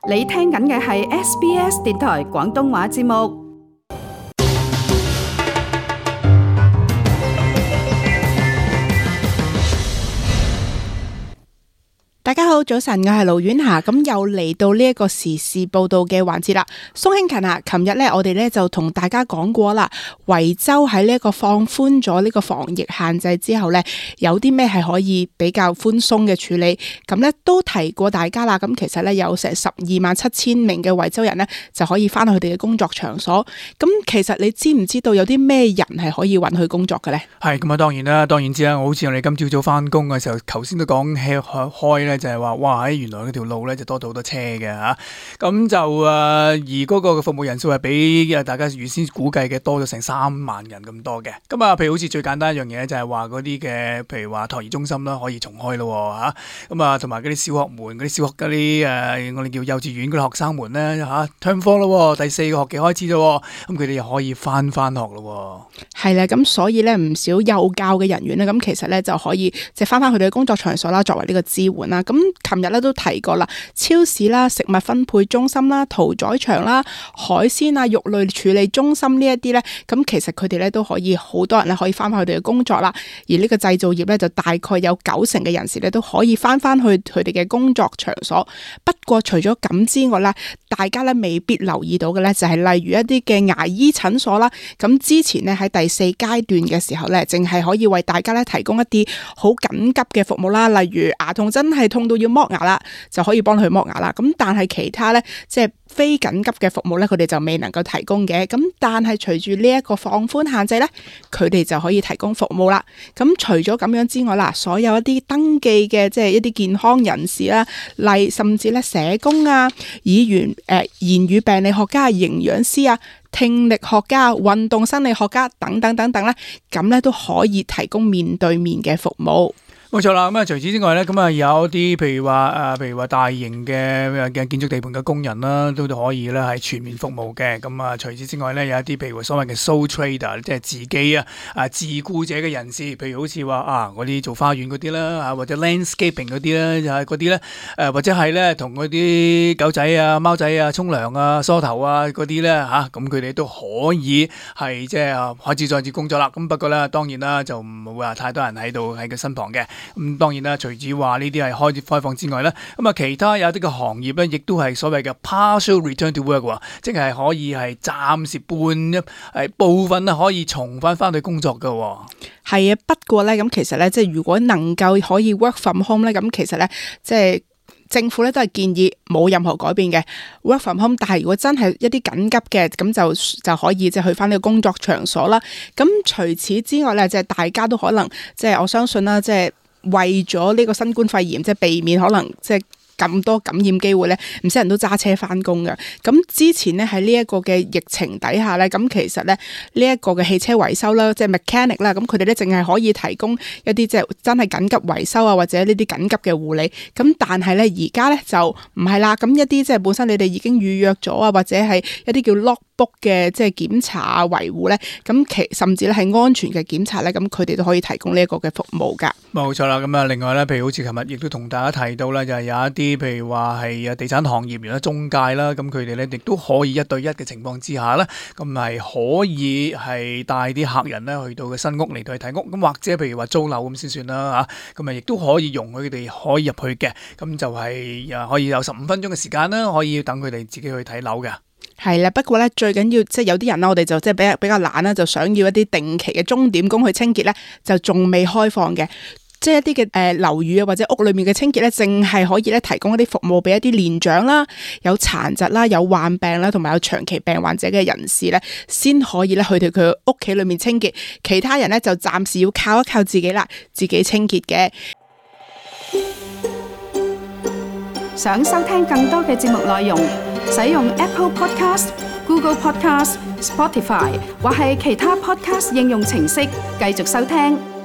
你聽緊嘅係 SBS 電台廣東話節目。大家好，早晨，我係盧婉霞，咁又嚟到呢一個時事報道嘅環節啦。宋慶勤啊，琴日咧我哋咧就同大家講過啦，維州喺呢一個放寬咗呢個防疫限制之後咧，有啲咩係可以比較寬鬆嘅處理，咁咧都提過大家啦。咁其實咧有成127000名嘅維州人咧就可以翻去佢哋嘅工作場所。咁其實你知唔知道有啲咩人係可以允許工作嘅咧？係咁啊，當然知啦。好似我哋今朝早翻工嘅時候，頭先都講開咧。就係話，哇！原來嗰條路咧就多咗好多車嘅嚇，咁就而嗰個服務人數係比大家原先估計嘅多咗成3萬人咁多嘅。咁啊，譬如好似最簡單一樣嘢就係話嗰啲嘅，譬如話托兒中心啦，可以重開咯嚇。咁啊，同埋嗰啲小學門、嗰啲小學嗰啲我哋叫幼稚園嗰啲學生們咧嚇，term 4咯，第4個學期開始啫，咁佢哋又可以翻學咯。係啦，咁所以咧唔少幼教嘅人員咧，咁其實咧就可以即係翻佢哋嘅工作場所啦，作為呢個支援啦。咁琴日咧都提過啦，超市啦、食物分配中心啦、屠宰場啦、海鮮啊、肉類處理中心呢一啲咧，咁其實佢哋咧都可以好多人咧可以翻返佢哋嘅工作啦。而呢個製造業咧就大概有90%嘅人士咧都可以翻去佢哋嘅工作場所。不過除咗咁之外啦，大家咧未必留意到嘅咧就係例如一啲嘅牙醫診所啦。咁之前咧喺第4階段嘅時候咧，淨係可以為大家咧提供一啲好緊急嘅服務啦，例如牙痛真係痛到要剝牙啦，就可以幫佢剝牙啦。咁但係其他咧，即係非緊急嘅服務咧，佢哋就未能夠提供嘅。咁但係隨住呢一個放寬限制咧，佢哋就可以提供服務啦。咁除咗咁樣之外啦，所有一啲登記嘅即係一啲健康人士啦，甚至咧社工啊、言語病理學家、營養師啊、聽力學家、運動生理學家等等等等咧，咁咧都可以提供面對面嘅服務。冇錯啦，咁啊除此之外咧，咁啊有啲譬如話大型嘅建築地盤嘅工人啦，都可以咧係全面服務嘅。咁啊除此之外咧，有一啲譬如所謂嘅 sole trader， 即係自己自僱者嘅人士，譬如好似話嗰啲做花園嗰啲啦，或者 landscaping 嗰啲咧，就係嗰啲咧或者係咧同嗰啲狗仔啊、貓仔啊沖涼啊、梳頭啊嗰啲咧咁佢哋都可以係即係開始再次工作啦。咁不過咧，當然啦，就唔會話太多人喺度喺佢身旁嘅。咁當然啦，除咗話呢啲係開放之外咧，咁啊其他有啲嘅行業咧，亦都係所謂嘅 partial return to work， 即係可以係暫時部分可以重翻去工作嘅。係啊，不過咧咁其實咧，即係如果能夠可以 work from home 咧，咁其實咧即係政府咧都係建議冇任何改變嘅 work from home， 但係如果真係一啲緊急嘅，咁就可以即係去翻呢個工作場所啦。咁除此之外咧，即係大家都可能即係我相信啦，即係為咗呢個新冠肺炎，即係避免可能即係咁多感染機會咧，唔少人都揸車翻工嘅。咁之前咧喺呢一個嘅疫情底下咧，咁其實咧呢一個嘅汽車維修啦，即係 mechanic 啦，咁佢哋咧淨係可以提供一啲即係真係緊急維修啊，或者呢啲緊急嘅護理。咁但係咧而家咧就唔係啦，咁一啲即係本身你哋已經預約咗啊，或者係一啲叫 logbook 嘅即係檢查啊、維護咧，咁甚至咧係安全嘅檢查咧，咁佢哋都可以提供呢一個嘅服務噶。冇錯啦，咁啊另外咧，譬如好似琴日亦都同大家提到啦，就係有一啲譬如話係地產行業或者中介啦，咁佢哋咧亦都可以1對1嘅情況之下咧，咁係可以係帶啲客人咧去到嘅新屋嚟到去睇屋，咁或者譬如話租樓咁先算啦嚇，咁啊亦都可以容許佢哋可以入去嘅，咁就係可以有15分鐘嘅時間啦，可以等佢哋自己去睇樓嘅。係啦，不過咧最緊要即係有啲人啦，我哋就即係比較懶啦，就想要一啲定期嘅鐘點工去清潔咧，就仲未開放嘅。即係一啲嘅樓宇啊，或者屋裏面嘅清潔咧，淨係可以咧提供一啲服務俾一啲年長啦、有殘疾啦、有患病啦，同埋有長期病患者嘅人士咧，先可以咧去到佢屋企裏面清潔。其他人咧就暫時要靠一靠自己啦，自己清潔嘅。想收聽更多嘅節目內容，使用 Apple Podcast、Google Podcast、Spotify 或係其他 Podcast 應用程式繼續收聽。